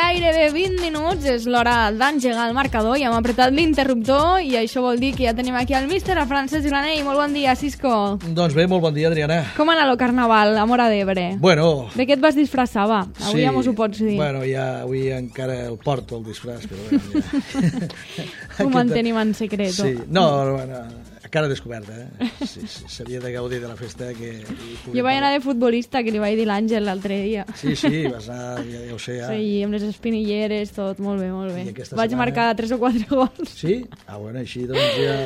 gairebé 20 minuts, és l'hora d'engegar el marcador i hem apretat l'interruptor i això vol dir que ja tenim aquí el míster, a Francesc Granell. Molt bon dia, Cisco. Doncs bé, molt bon dia, Adriana. Com ha anat el carnaval a Móra d'Ebre? Bueno... De què et vas disfressar, va? Avui sí, ja mos ho pots dir. Bueno, ja avui encara el porto, el disfraç, però bueno, ja... Ho mantenim en secret. Sí, no, bueno, a cara descoberta, eh? Sí, s'havia de gaudir de la festa que... Jo vaig anar de futbolista, que li vaig dir l'Àngel l'altre dia. Sí, vas anar, ja ho sé, ja. Sí, amb les espinilleres, tot, molt bé, molt bé. Vaig setmana... marcar 3 o 4 gols. Sí? Ah, bueno, així doncs ja...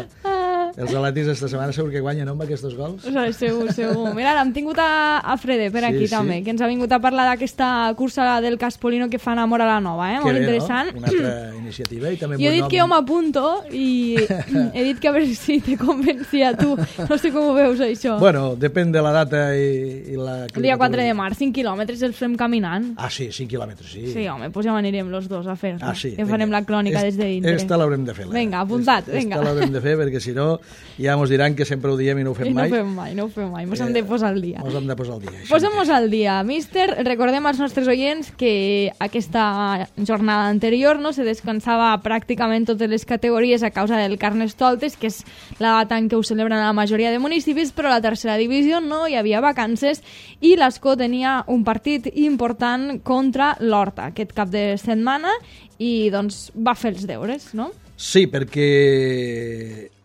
Els atlètics esta setmana segur que guanyen, no, amb aquests gols? Segur. Mira, l'hem tingut a Frede per aquí també, que ens ha vingut a parlar d'aquesta cursa del Caspolino que fan a Móra la Nova, molt interessant. No? Una altra iniciativa i també jo he dit que jo m'apunto i he dit que a veure si te convencia tu. No sé com ho veus, això. Bueno, depèn de la data i la... El dia 4 de març, 5 quilòmetres els fem caminant. Ah, sí, 5 quilòmetres, sí. Sí, home, doncs ja anirem los dos a fer-ho. Ah, sí. Que farem la clònica des de dintre. Esta l'haurem de fer. Vinga, apuntat, vinga. Esta l'haurem de fer perquè si no ja mos diran que sempre ho diem i no ho fem mai. No ho fem mai. Mos hem de posar al dia. Posem-nos al dia. Míster, recordem als nostres oients que aquesta jornada anterior no se descansava pràcticament totes les categories a causa del Carnestoltes, que és la data en què ho celebren la majoria de municipis, però a la tercera divisió no hi havia vacances i l'Escó tenia un partit important contra l'Horta aquest cap de setmana i doncs va fer els deures, no? Sí, perquè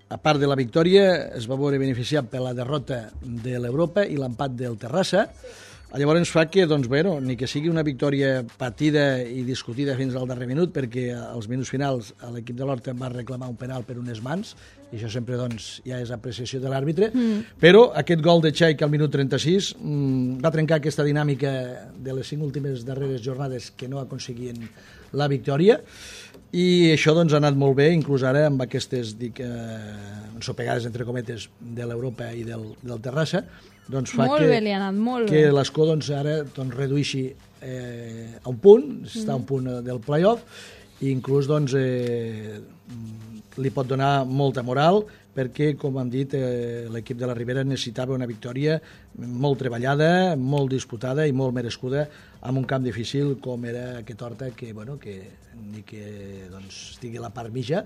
a part de la victòria es va veure beneficiat per la derrota de l'Europa i l'empat del Terrassa. Llavors fa que, doncs, bueno, ni que sigui una victòria patida i discutida fins al darrer minut, perquè als minuts finals l'equip de l'Horta va reclamar un penal per unes mans, i això sempre doncs, ja és apreciació de l'àrbitre, però aquest gol de Chaik al minut 36 va trencar aquesta dinàmica de les 5 últimes darreres jornades que no aconseguien la victòria, i això doncs, ha anat molt bé, inclús ara amb aquestes ensopegades, entre cometes, de l'Europa i del Terrassa, doncs fa molt bé, li ha anat molt que bé. l'Escó doncs, ara doncs, redueixi a un punt, està a un punt del play-off, i inclús doncs, li pot donar molta moral, perquè, com hem dit, l'equip de la Ribera necessitava una victòria molt treballada, molt disputada i molt merescuda en un camp difícil com era aquest Horta, que, bueno, que ni que doncs, estigui a la part mitja,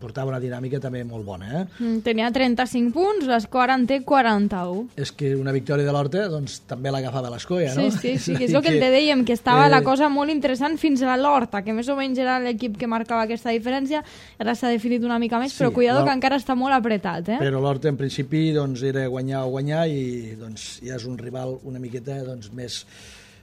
portava una dinàmica també molt bona. Tenia 35 punts, l'Escó ara en té 41. És que una victòria de l'Horta doncs, també l'agafava l'Escó, ja, no? Sí, que és el que te dèiem, que estava la cosa molt interessant fins a l'Horta, que més o menys era l'equip que marcava aquesta diferència, ara s'ha definit una mica més, però cuidado que encara està molt apretat. Però l'Horta, en principi, doncs, era guanyar o guanyar i doncs, ja és un rival una miqueta doncs,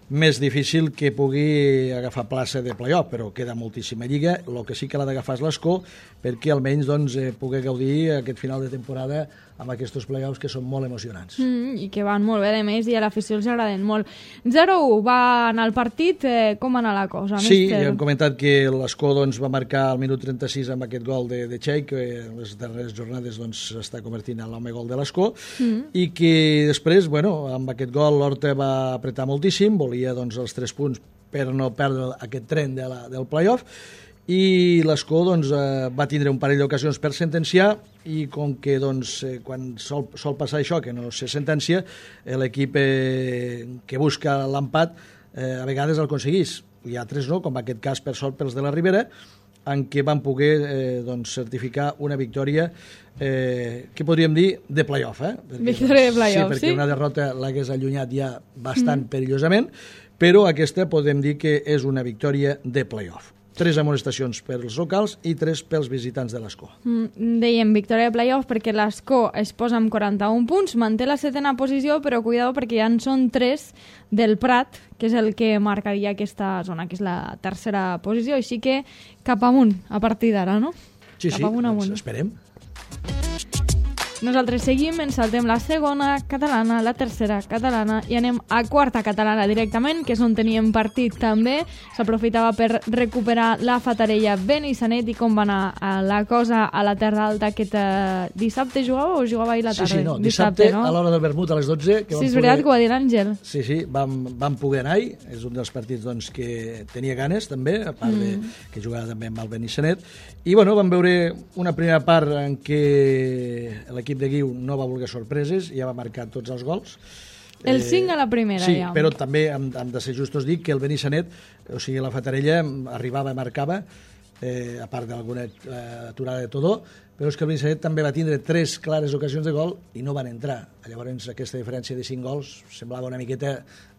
més difícil que pugui agafar plaça de play-off, però queda moltíssima lliga. El que sí que l'ha d'agafar és l'Escó, perquè almenys doncs, pugui gaudir aquest final de temporada amb aquests play-offs que són molt emocionants. I que van molt bé, a més, i a l'afició els agraden molt. 0-1 va anar el partit, com va anar la cosa? Sí, ja hem comentat que l'Escó doncs, va marcar al minut 36 amb aquest gol de Chaik, que en les darreres jornades s'està convertint en l'home gol de l'Escó, i que després, bueno, amb aquest gol l'Horta va apretar moltíssim, volia doncs, els 3 punts per no perdre aquest tren del play-off, i l'Escó doncs, va tindre un parell d'ocasions per sentenciar, i com que doncs, quan sol passar això, que no se sentencia, l'equip que busca l'empat a vegades el aconseguís. Hi ha 3 no, com en aquest cas per sort pels de la Ribera, en què van poder doncs, certificar una victòria que podríem dir de play-off. Victòria de play-off, sí? Perquè una derrota l'hagués allunyat ja bastant perillosament, però aquesta podem dir que és una victòria de play-off. 3 amonestacions pels locals i 3 pels visitants de l'Escó. Dèiem victòria de play-off perquè l'Escó es posa amb 41 punts, manté la 7ª posició, però cuidado perquè ja en són 3 del Prat, que és el que marcaria aquesta zona, que és la 3ª posició, així que cap amunt a partir d'ara, no? Sí, doncs esperem. Nosaltres seguim, ens saltem la 2ª catalana, la 3ª catalana i anem a 4ª catalana directament, que és on teníem partit també. S'aprofitava per recuperar la Fatarella Benissanet. I com va anar la cosa a la Terra Alta aquest dissabte jugava o jugava ahir la tarda? Sí, dissabte no? A l'hora del vermut a les 12. Sí, és veritat que ho va dir l'Àngel. Sí, vam poder anar-hi. És un dels partits doncs, que tenia ganes també, a part de que jugava també amb el Benissanet. I bueno, vam veure una primera part en què l'equip de Guiu no va voler sorpreses, ja va marcar tots els gols, El 5 a la primera, sí, ja. però també hem de ser justos dir que el Benissanet, o sigui, la Fatarella arribava i marcava, a part d'alguna aturada de Todó, però és que el Benissanet també va tindre 3 clares ocasions de gol i no van entrar. Llavors aquesta diferència de 5 gols semblava una miqueta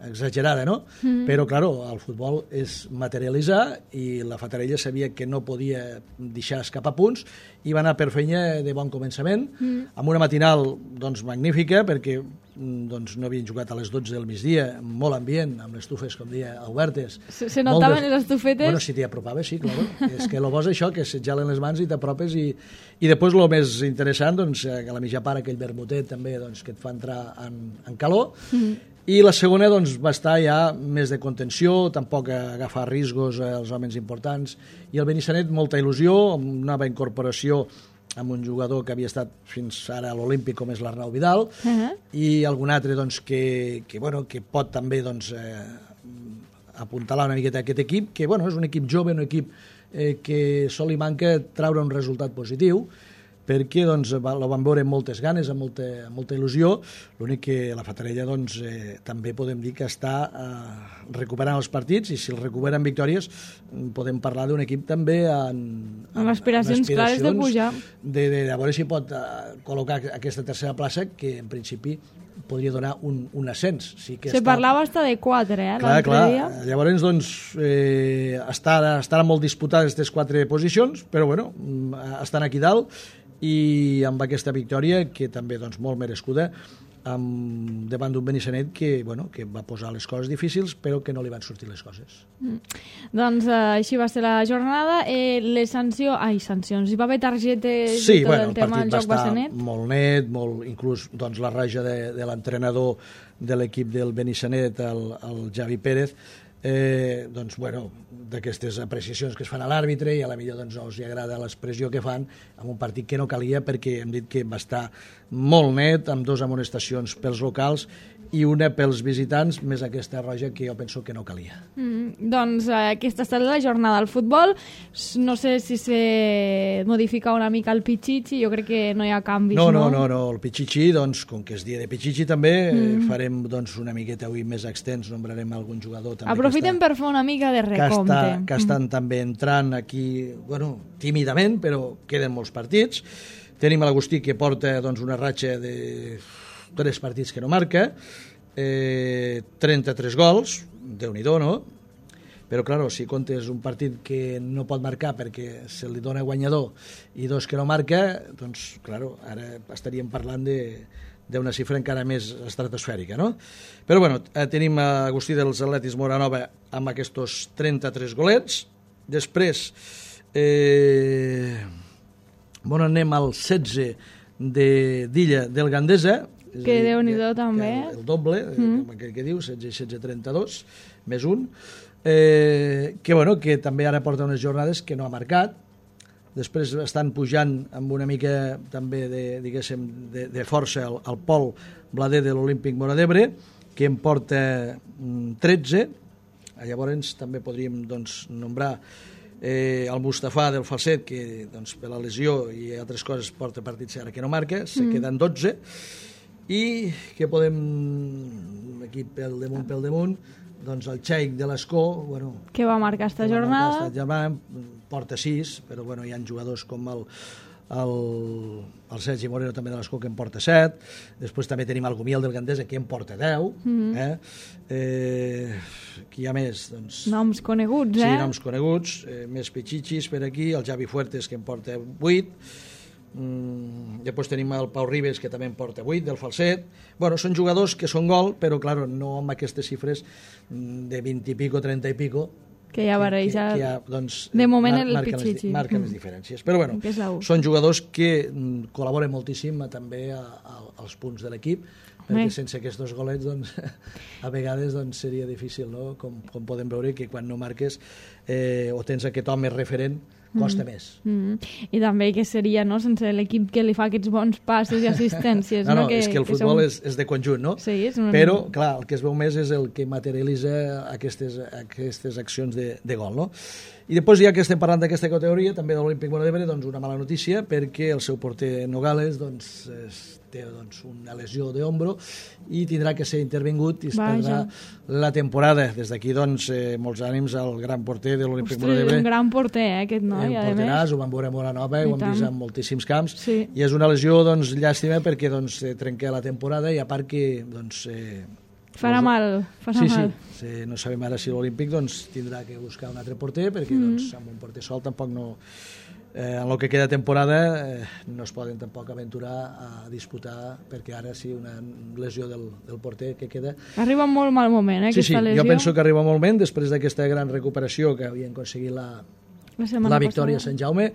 exagerada, no? Però, claro, el futbol és materialitzar i la Fatarella sabia que no podia deixar escapar punts i va anar per feina de bon començament, amb una matinal doncs, magnífica, perquè doncs, no havien jugat a les 12 del migdia, molt ambient, amb les estufes, com dia, obertes. Se notaven les estufetes? Bueno, si t'hi apropaves, sí, claro. És que el bo és això, que se't gelen les mans i t'apropes i després el més interessant, doncs, a la mitja part aquell vermutet també, doncs, que et fa entrar en calor, i la segona doncs, va estar ja més de contenció, tampoc agafar riscos als homes importants, i el Benissanet molta il·lusió, amb una nova incorporació amb un jugador que havia estat fins ara a l'Olímpic, com és l'Arnau Vidal, i algun altre doncs, que pot també doncs, apuntalar una miqueta aquest equip, que bueno, és un equip jove, un equip que sol li manca treure un resultat positiu, perquè doncs, la van veure amb moltes ganes, amb molta il·lusió. L'únic que la Fatarella doncs, també podem dir que està recuperant els partits, i si els recuperen victòries podem parlar d'un equip també amb aspiracions clares de pujar, de veure si pot col·locar aquesta tercera plaça, que en principi podria donar un ascens. Sí que se parlava hasta de 4, l'altre dia. Llavors, doncs, estan molt disputades aquestes 4 posicions, però bueno, estan aquí dalt, i amb aquesta victòria, que també doncs, molt merescuda, davant d'un Benissanet que va posar les coses difícils, però que no li van sortir les coses. Doncs així va ser la jornada. Les sancions, hi va haver targetes sí, i tot el tema del joc va ser net? Sí, molt net, inclús doncs, la raja de l'entrenador de l'equip del Benissanet, el Javi Pérez, doncs, bueno, d'aquestes apreciacions que es fan a l'àrbitre, i a la millor doncs, no els agrada l'expressió que fan en un partit que no calia, perquè hem dit que va estar molt net, amb 2 amonestacions pels locals i una pels visitants, més aquesta roja que jo penso que no calia. Doncs aquesta ha estat la jornada del futbol. No sé si se modifica una mica el Pichichi, jo crec que no hi ha canvis, no? No, el Pichichi, doncs, com que és dia de Pichichi també, farem doncs, una miqueta avui més extens, nombrarem algun jugador també. Aprofitem per fer una mica de recompte. Que estan també entrant aquí, bueno, tímidament, però queden molts partits. Tenim l'Agustí, que porta doncs, una ratxa de 3 partits que no marca, 33 gols, Déu-n'hi-do, no? Però, clar, si comptes un partit que no pot marcar perquè se li dona guanyador i 2 que no marca, doncs, clar, ara estaríem parlant d'una xifra encara més estratosfèrica, no? Però, bueno, tenim Agustí dels Atletis Moranova amb aquests 33 golets. Després, anem al 16 d'Illa del Gandesa, que Déu-n'hi-do també. El doble, que diu, 16-32, més 1, que també ara porta unes jornades que no ha marcat. Després estan pujant amb una mica també de força el Pol Blader de l'Olímpic Móra d'Ebre, que en porta 13. Llavors també podríem doncs, nombrar el Mustafà del Falset, que doncs, per la lesió i altres coses porta partits ara que no marca, se queden 12. I que podem, aquí pel damunt, doncs el Xeic de l'Escó, que va marcar esta jornada, porta 6, però hi ha jugadors com el Sergi Moreno també de l'Escó, que en porta 7. Després també tenim el Gumiel del Gandesa, que en porta 10. Qui hi ha més? Doncs, noms coneguts, Sí, noms coneguts, més pitxitxis per aquí, el Javi Fuertes, que en porta 8. Després tenim el Pau Ribes, que també en porta 8, del Falset. Són jugadors que són gol, però clar, no amb aquestes xifres de 20 i pico, 30 i pico, que ja barreja, doncs, de moment el Pichichi marquen les diferències, però són jugadors que col·laboren moltíssim també als punts de l'equip, perquè sense aquests golets doncs, a vegades doncs, seria difícil, no? Com podem veure que quan no marques o tens aquest home referent costa més. I també que seria, no?, sense l'equip que li fa aquests bons passos i assistències. És que el futbol és de conjunt, no? Sí, però, clar, el que es veu més és el que materialitza aquestes accions de gol, no? I després, ja que estem parlant d'aquesta categoria, també de l'Olímpic Móra d'Ebre, doncs una mala notícia, perquè el seu porter Nogales doncs, té doncs, una lesió d'ombro i tindrà que ser intervingut i es perdrà la temporada. Des d'aquí, doncs, molts ànims al gran porter de l'Olímpic Móra d'Ebre. Un gran porter, aquest noi, a més. Ho vam veure a Móra Nova, ho hem vist en moltíssims camps, sí. I és una lesió, doncs, llàstima perquè doncs, trenca la temporada i a part que doncs, farà mal. Sí, no sabem ara si l'Olímpic doncs, tindrà que buscar un altre porter perquè doncs, amb un porter sol tampoc no... en el que queda temporada no es poden tampoc aventurar a disputar perquè ara sí una lesió del porter que queda... Arriba en molt mal moment, aquesta lesió. Jo penso que arriba molt moment després d'aquesta gran recuperació que havien aconseguit la victòria a Sant Jaume,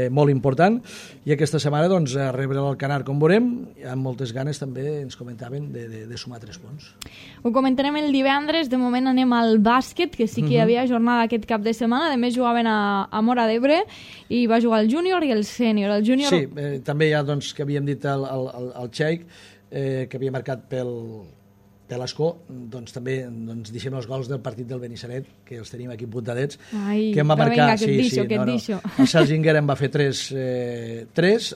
molt important, i aquesta setmana doncs, a rebre l'Alcanar, com veurem, amb moltes ganes també ens comentaven de sumar 3 punts. Ho comentarem el divendres, de moment anem al bàsquet, que sí que hi havia jornada aquest cap de setmana, a més jugaven a Móra d'Ebre i va jugar el júnior i el sènior. Sí, també ja doncs, que havíem dit al Xeic, que havia marcat per l'Escó, doncs també doncs, deixem els gols del partit del Benissanet, que els tenim aquí apuntadets, que em va marcar... El Sergi Inguer em va fer 3,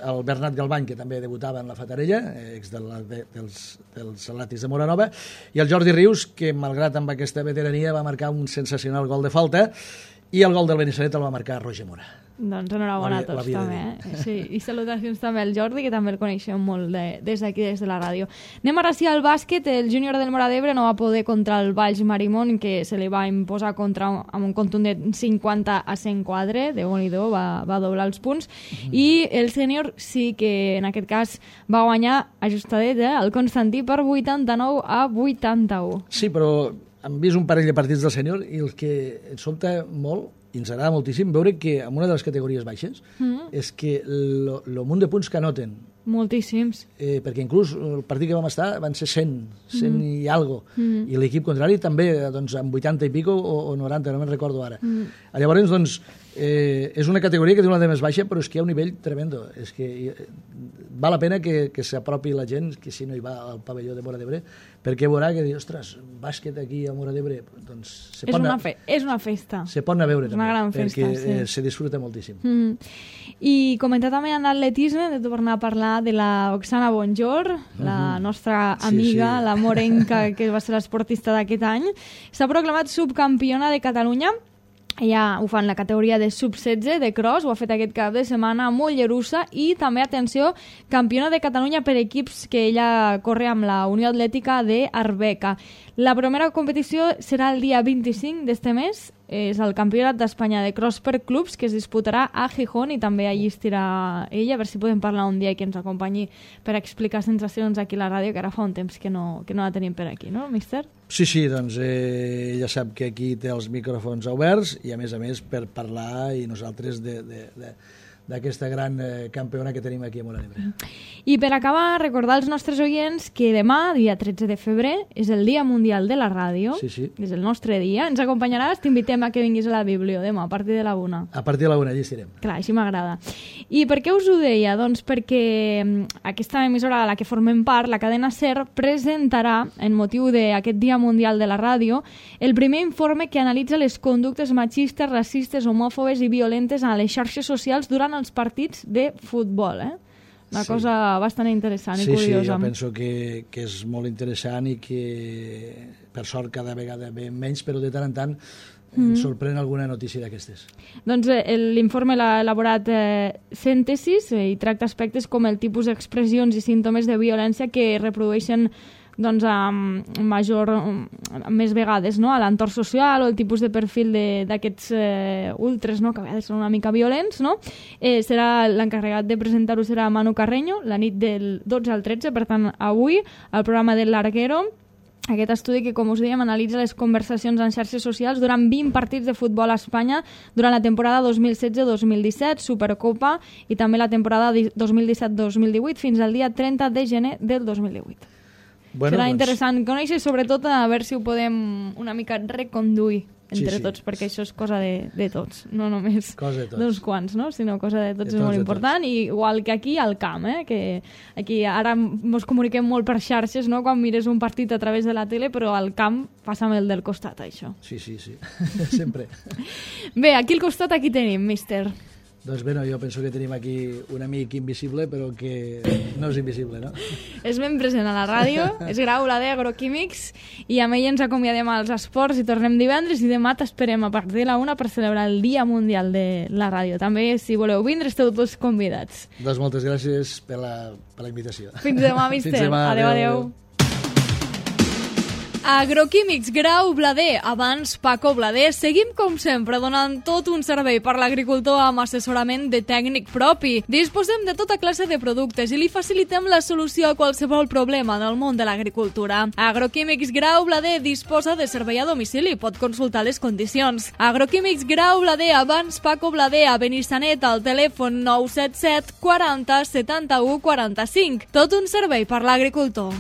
el Bernat Galbany, que també debutava en la Fatarella, ex dels Salatis de Móra Nova, i el Jordi Rius, que malgrat amb aquesta veterania va marcar un sensacional gol de falta, i el gol del Benissanet el va marcar Roger Mora. Doncs enhorabona a tots també. Sí, i salutacions també al Jordi, que també el coneixem molt des d'aquí, des de la ràdio. Anem ara sí al bàsquet. El júnior del Móra d'Ebre no va poder contra el Valls Marimón, que se li va imposar amb un contundent 50-104. Déu-n'hi-do, va doblar els punts. I el sènior sí que en aquest cas va guanyar ajustadet, el Constantí per 89-81. Sí, però hem vist un parell de partits del sènior i el que ens sobta molt i ens agrada moltíssim veure que en una de les categories baixes és que el munt de punts que anoten moltíssims, perquè inclús el partit que vam estar van ser 100 i algo, i l'equip contrari també doncs, amb 80 i pico o 90, no me'n recordo ara. Llavors doncs, és una categoria que té una de més baixa, però és que hi ha un nivell tremendo, és que val la pena que s'apropi la gent, que si no hi va al pavelló de Móra d'Ebre, perquè veurà que diu, ostres, bàsquet aquí a Móra d'Ebre, doncs és una festa, se pot anar a veure és una gran festa, perquè se disfruta moltíssim. I comentar també en atletisme, de tornar a parlar de la Oksana Bonjor, la nostra amiga, la morenca, que va ser l'esportista d'aquest any. S'ha proclamat subcampiona de Catalunya. Ella ho fa en la categoria de sub-16 de cross, ho ha fet aquest cap de setmana a Mollerussa, i també, atenció, campiona de Catalunya per equips, que ella corre amb la Unió Atlètica d'Arbeca. La primera competició serà el dia 25 d'este mes, és el Campionat d'Espanya de cross per clubs, que es disputarà a Gijón, i també allí estirà ella, a veure si podem parlar un dia i que ens acompanyi per explicar sensacions aquí a la ràdio, que ara fa un temps que no la tenim per aquí, no, míster? Sí, doncs ella sap que aquí té els micròfons oberts i a més per parlar i nosaltres d'aquesta gran campiona que tenim aquí a Móra d'Ebre. I per acabar, recordar als nostres oients que demà, dia 13 de febrer, és el Dia Mundial de la Ràdio. Sí. És el nostre dia. Ens acompanyaràs, t'invitem a que vinguis a la Biblio demà, a partir de la 1. A partir de la 1, allà estirem. Clar, així m'agrada. I per què us ho deia? Doncs perquè aquesta emissora a la que formem part, la cadena SER, presentarà, en motiu d'aquest Dia Mundial de la Ràdio, el primer informe que analitza les conductes machistes, racistes, homòfobes i violentes a les xarxes socials durant els partits de futbol, Una cosa bastant interessant i curiosa. Sí, jo penso que és molt interessant i que, per sort, cada vegada ve menys, però de tant en tant sorprèn alguna notícia d'aquestes. Doncs l'informe l'ha elaborat Síntesis i tracta aspectes com el tipus d'expressions i símptomes de violència que reprodueixen doncs, més vegades, no? A l'entorn social o el tipus de perfil d'aquests ultres, no? Que a vegades són una mica violents, no? L'encarregat de presentar-ho serà Manu Carreño, la nit del 12 al 13, per tant, avui, al programa del Larguero. Aquest estudi que, com us dèiem, analitza les conversacions en xarxes socials durant 20 partits de futbol a Espanya durant la temporada 2016-2017, Supercopa, i també la temporada 2017-2018 fins al dia 30 de gener del 2018. Serà interessant conèixer, sobretot a veure si ho podem una mica reconduir entre tots, perquè això és cosa de tots, no només d'uns quants, no? Sinó cosa de tots, és molt important, i igual que aquí al camp, que aquí ara ens comuniquem molt per xarxes, no? Quan mires un partit a través de la tele, però al camp passa amb el del costat, això. Sí, sempre. Bé, aquí al costat aquí tenim, míster. Doncs bé, jo penso que tenim aquí un amic invisible, però que no és invisible, no? És ben present a la ràdio, és Grau Blader, Agroquímics, i amb ell ens acomiadem als esports i tornem divendres, i demà t'esperem a partir de la 1 per celebrar el Dia Mundial de la Ràdio. També, si voleu vindre, esteu tots convidats. Doncs moltes gràcies per la invitació. Fins demà, mister. Fins demà, adéu. Agroquímics Grau Blader, abans Paco Blader, seguim com sempre donant tot un servei per l'agricultor amb assessorament de tècnic propi. Disposem de tota classe de productes i li facilitem la solució a qualsevol problema del món de l'agricultura. Agroquímics Grau Blader disposa de servei a domicili, pot consultar les condicions. Agroquímics Grau Blader, abans Paco Blader, a Benissanet, al telèfon 977 40 71 45. Tot un servei per l'agricultor.